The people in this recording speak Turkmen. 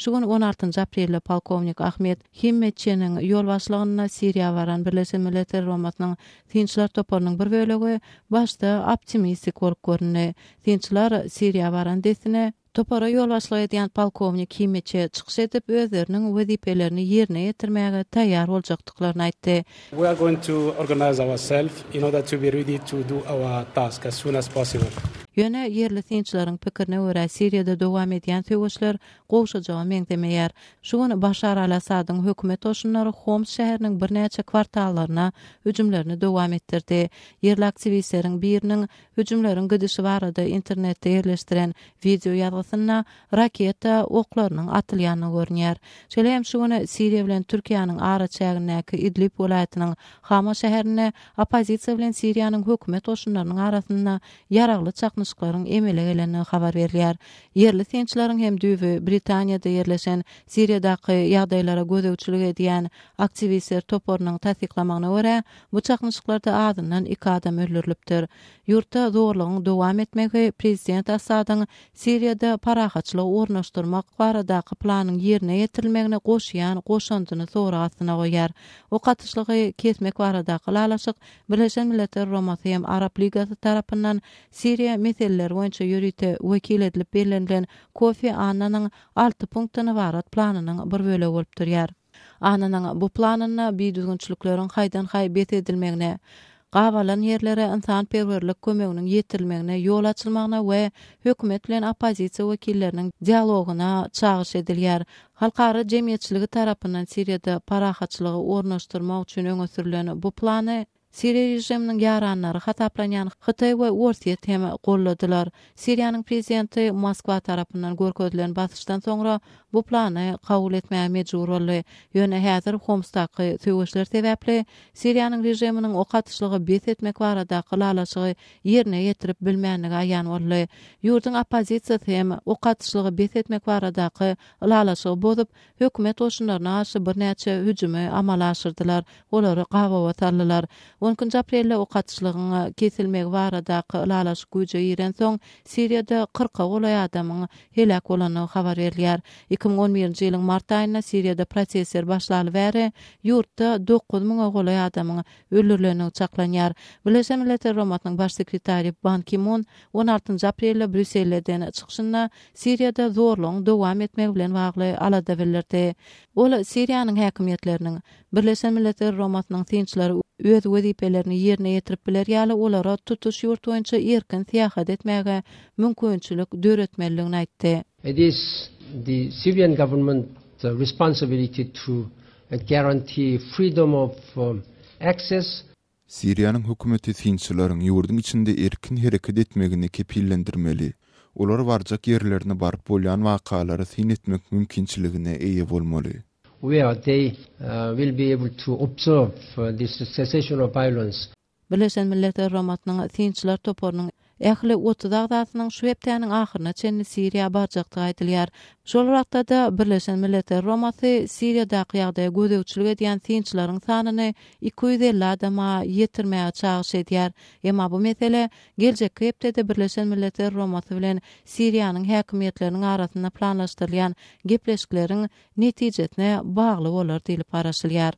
Şu gün on altynjy aprelde polkownik Ahmed Himmetçiniň ýolbaşçylygynda Siriýa baran Birleşen Milletler Guramasynyň synçylar toparynyň bir bölegi başda optimistik bolup göründi. Synçylar Siriýa baran dessine, Topara ýolbaşçylyk edýän polkownik Himmetçi çykyş edip, özleriniň wezipelerini ýerine ýetirmäge taýýar boljakdyklaryny aýtdy. We are going to organize ourself in order to be ready to do our task as soon as possible. Ýöne ýerli synçylaryň pikirine görä, Siriýada dowam edýän söweşler gowşajaga meňzemeýär. Şu gün Başar al-Assadyň hökümet goşunlary Homs şäheriniň birnäçe kwartallaryna hüjümlerini dowam etdirdi. Ýerli aktiwistleriň biriniň hüjümleriň gidişi barada internetde ýerleşdiren wideo ýazgysynda raketa oklarynyň atylýandygy görünýär. Şeýle hem şu gün Siriýa bilen Türkiýäniň araçägindäki Idlib welaýatynyň Hama şäherinde oppozisiýa bilen Siriýanyň hökümet goşunlarynyň arasynda ýaragly çaknyşyklaryň emele gelendigi habar berilýär. Ýerli synçylaryň hem düýbi Britaniýada ýerleşen Siriýadaky ýagdaýlara gözegçilik edýän aktiwistler toparynyň tassyklamagyna görä, bu çaknyşyklarda azyndan iki adam öldürilipdir. Ýurtda zorlugyň dowam etmegi prezident Assadyň Siriýada parahatçylygy ornaşdyrmak baradaky planyň ýerine ýetirilmegine goşýan goşandyny sorag astyna goýýar. Ok atyşlygy kesmek baradaky ylalaşyk Birleşen Milletler Guramasy hem Arap Ligasy tarapyndan Siriýa meseleleri boýunça ýörite wekil edilip bellenilen Kofi Annanyň alty punktdan ybarat planynyň bir bölegi bolup durýar. Annanyň bu planynda bidüzgünçilikleriň haýdan-haý bes edilmegine, gabalan ýerlere ynsanperwerlik kömeginiň ýetirilmegine ýol açylmagyna we hökümet bilen oppozisiýa wekilleriniň dialogyna çagyryş edilýär. Halkara jemgyýetçiligi tarapyndan Siriýada parahatçylygy ornaşdyrmak üçin öňe sürlen bu plany Siriýa režiminiň ýaranlary hasaplanýan Hytaý we Orsýet hem goldadylar. Siriýanyň prezidenti Moskwa tarapyndan görkezilen basyşdan soňra bu plany kabul etmäge mejbur boldy. Ýöne häzir Homsdaky söweşler sebäpli Siriýanyň režiminiň ok atyşlygy bes etmek baradaky ylalaşygy ýerine ýetirip bilmändigi aýan boldy. Ýurduň oppozisiýasy hem ok atyşlygy bes etmek baradaky ylalaşygy bozup, hökümet goşunlaryna garşy birnäçe hüjümi amala aşyrdylar, olary gabawa saldylar. On ikinji aprelde ok atyşlygyň kesilmegi baradaky ylalaşyk güýje girensoň, Siriýada kyrka golaý adamyň heläk bolandygy habar berilýär. 2011-nji ýylyň mart aýynda Siriýada protestler başlaly bäri ýurtda dokuz müňe golaý adamyň öldürilendigi çaklanýar. Birleşen Milletler Guramasynyň Baş sekretary Ban Ki-mun on altynjy aprelde Brýusselde eden çykyşynda Siriýada zorlugyň dowam etmegi bilen bagly alada bildirdi. Ol Siriýanyň häkimiýetleriniň Birleşen Milletler Guramasynyň synçylary öz wezipelerini ýerine ýetirip biler ýaly olara tutuş ýurt boýunça erkin syýahat etmäge mümkinçilik döretmelidigini aýtdy. It is the Syrian government responsibility to guarantee freedom of access Siriýanyň hökümeti synçylaryň ýurduň içinde erkin hereket etmegini kepillendirmeli. Olar barjak ýerlerine baryp bolýan wakalara syn etmek mümkinçiligine eýe bolmaly. Where they will be able to observe this cessation of violence. Birleşen Milletler Guramasynyň synçylar toparynyň ähli 30 agzasynyň şu hepdäniň ahyryna çenli Siriýa barjakdygy aýdylýar. Şol wagtda-da Birleşen Milletler Guramasy Siriýadaky ýagdaýa gözegçilik edýän synçylaryň sanyny 250 adama ýetirmäge çagyryş edýär. Emma bu mesele geljekki hepdede Birleşen Milletler Guramasy bilen Siriýanyň häkimiýetleriniň arasynda planlaşdyrylýan gepleşikleriň netijesine bagly bolar diýlip garaşylýar.